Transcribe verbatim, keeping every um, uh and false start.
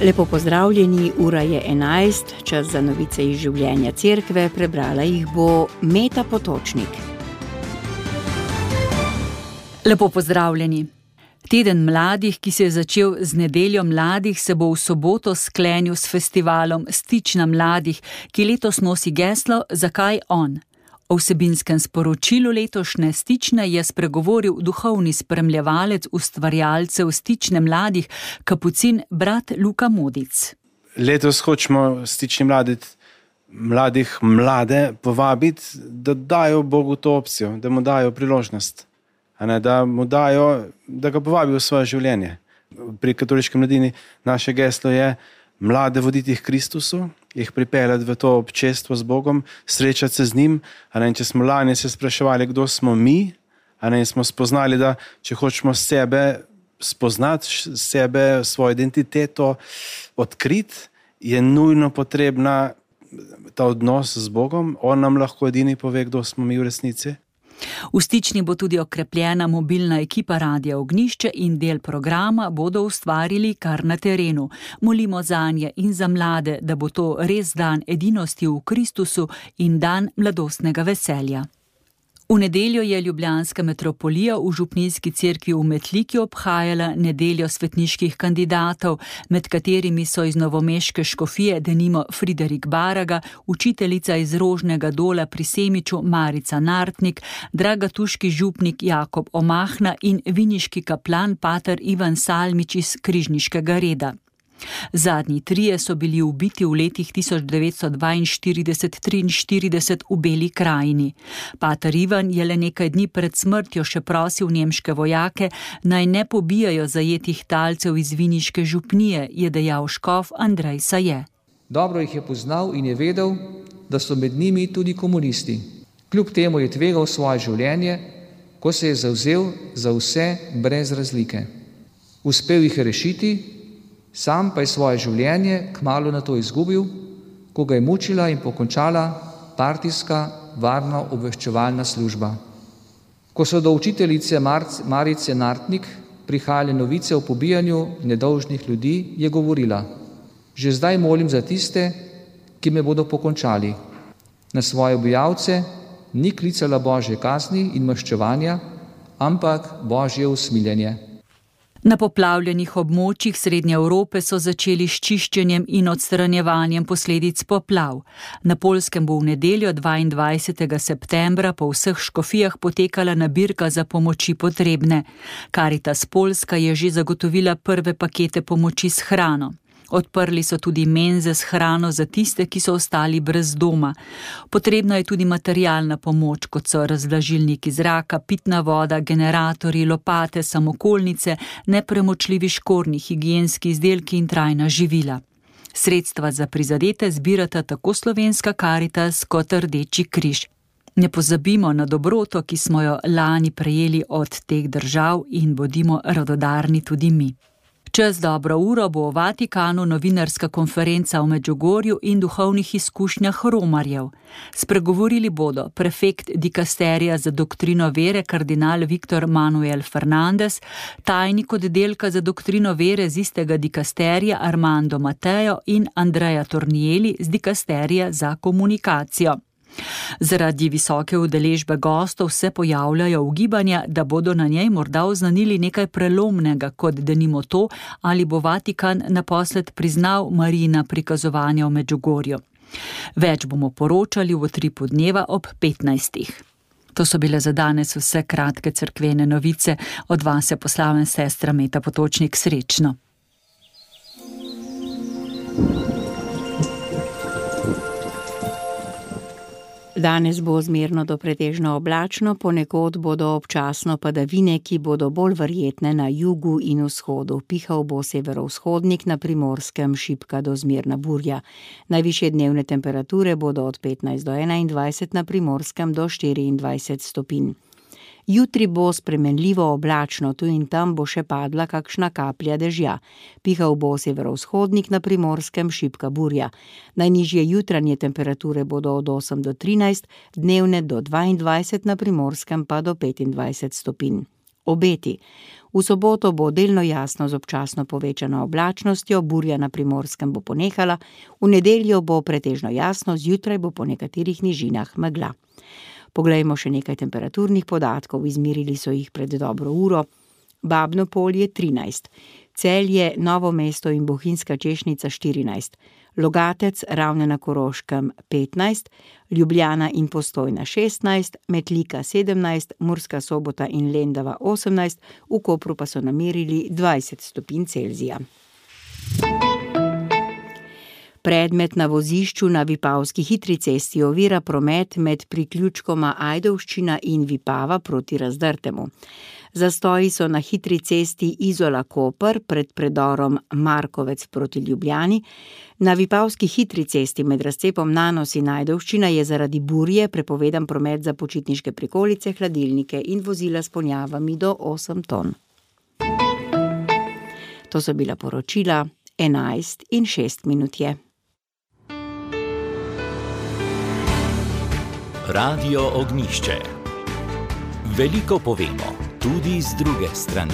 Lepo pozdravljeni, ura je enajst, čas za novice iz življenja cerkve, prebrala jih bo Meta Potočnik. Lepo pozdravljeni. Teden mladih, ki se je začel z nedeljo mladih, se bo v soboto sklenil s festivalom Stična mladih, ki letos nosi geslo Zakaj on? O vsebinskem sporočilu letošnje Stične je spregovoril duhovni spremljevalec ustvarjalcev Stične mladih, kapucin brat Luka Modic. Letos hočemo Stični mladih, mladih mlade povabiti, da dajo Bogu to opcijo, da mu dajo priložnost, a ne, da mu dajo, da ga povabijo v svoje življenje. Pri katoliški mladini naše geslo je mlade voditi k Kristusu, jih pripeljati v to občestvo z Bogom, srečati se z njim. A ne, če smo lani se spraševali, kdo smo mi, a ne, smo spoznali, da če hočemo sebe spoznati, sebe, svojo identiteto odkriti, je nujno potrebna ta odnos z Bogom. On nam lahko edini pove, kdo smo mi v resnici. V Stični bo tudi okrepljena mobilna ekipa Radia Ognjišče in del programa bodo ustvarili kar na terenu. Molimo zanje in za mlade, da bo to res dan edinosti v Kristusu in dan mladostnega veselja. V nedeljo je ljubljanska metropolija v župnijski cerkvi v Metliki obhajala nedeljo svetniških kandidatov, med katerimi so iz novomeške škofije denimo Friderik Baraga, učiteljica iz Rožnega dola pri Semiču Marica Nartnik, dragatuški župnik Jakob Omahna in viniški kaplan pater Ivan Salmič iz Križniškega reda. Zadnji trije so bili ubiti v letih tisoč devetsto dvainštirideset triinštirideset v Beli krajini. Pater Ivan je le nekaj dni pred smrtjo še prosil nemške vojake, naj ne pobijajo zajetih talcev iz viniške župnije, je dejal škof Andrej Saje. Dobro jih je poznal in je vedel, da so med njimi tudi komunisti. Kljub temu je tvegal svoje življenje, ko se je zavzel za vse brez razlike. Uspel jih je rešiti, sam pa je svoje življenje kmalu na to izgubil, ko ga je mučila in pokončala partijska varna obveščevalna služba. Ko so do učiteljice Marice Nartnik prihajale novice o pobijanju nedolžnih ljudi, je govorila: že zdaj molim za tiste, ki me bodo pokončali. Na svoje ubijalce ni klicala Božje kazni in maščevanja, ampak Božje usmiljenje. Na poplavljenih območjih Srednje Evrope so začeli s čiščenjem in odstranjevanjem posledic poplav. Na Poljskem bo v nedeljo dvaindvajsetega septembra po vseh škofijah potekala nabirka za pomoči potrebne. Karitas Poljska je že zagotovila prve pakete pomoči s hrano. Odprli so tudi menze s hrano za tiste, ki so ostali brez doma. Potrebna je tudi materialna pomoč, kot so razvlažilniki zraka, pitna voda, generatorji, lopate, samokolnice, nepremočljivi škornji, higienski izdelki in trajna živila. Sredstva za prizadete zbirata tako Slovenska Karitas kot Rdeči križ. Ne pozabimo na dobroto, ki smo jo lani prejeli od teh držav, in bodimo radodarni tudi mi. Čez dobro uro bo v Vatikanu novinarska konferenca o Medžugorju in duhovnih izkušnjah romarjev. Spregovorili bodo prefekt dikasterija za doktrino vere kardinal Viktor Manuel Fernandez, tajnik oddelka za doktrino vere z istega dikasterija Armando Mateo in Andrea Tornieli z dikasterija za komunikacijo. Zaradi visoke udeležbe gostov se pojavljajo ugibanja, da bodo na njej morda oznanili nekaj prelomnega, kot denimo to, ali bo Vatikan naposled priznal Marijina prikazovanja v Medžugorju. Več bomo poročali v utripu dneva ob petnajstih. To so bile za danes vse kratke cerkvene novice. Od vas je poslala sestra Meta Potočnik. Srečno. Danes bo zmerno do pretežno oblačno, ponekod bodo občasno padavine, ki bodo bolj verjetne na jugu in vzhodu. Pihal bo severovzhodnik, na Primorskem šibka do zmerna burja. Najvišje dnevne temperature bodo od petnajst do enaindvajset, na Primorskem do štiriindvajset stopinj. Jutri bo spremenljivo oblačno, tu in tam bo še padla kakšna kaplja dežja. Pihal bo severovzhodnik, na Primorskem šibka burja. Najnižje jutranje temperature bodo od osem do trinajst, dnevne do dvaindvajset, na Primorskem pa do petindvajset stopinj. Obeti. V soboto bo delno jasno z občasno povečano oblačnostjo, burja na Primorskem bo ponehala, v nedeljo bo pretežno jasno, zjutraj bo po nekaterih nižinah megla. Poglejmo še nekaj temperaturnih podatkov, izmerili so jih pred dobro uro. Babno Polje trinajst, Celje, Novo mesto in Bohinjska Češnica štirinajst, Logatec, Ravne na Koroškem petnajst, Ljubljana in Postojna šestnajst, Metlika sedemnajst, Murska Sobota in Lendava osemnajst, v Kopru pa so namerili dvajset stopinj Celzija. Predmet na vozišču na Vipavski hitri cesti ovira promet med priključkoma Ajdovščina in Vipava proti Razdrtemu. Zastoji so na hitri cesti Izola-Koper pred predorom Markovec proti Ljubljani. Na Vipavski hitri cesti med razcepom Nanos in Ajdovščina je zaradi burje prepovedan promet za počitniške prikolice, hladilnike in vozila s ponjavami do osem ton. To so bila poročila, enajst in šest minut je. Radio Ognjišče. Veliko povemo, tudi z druge strani.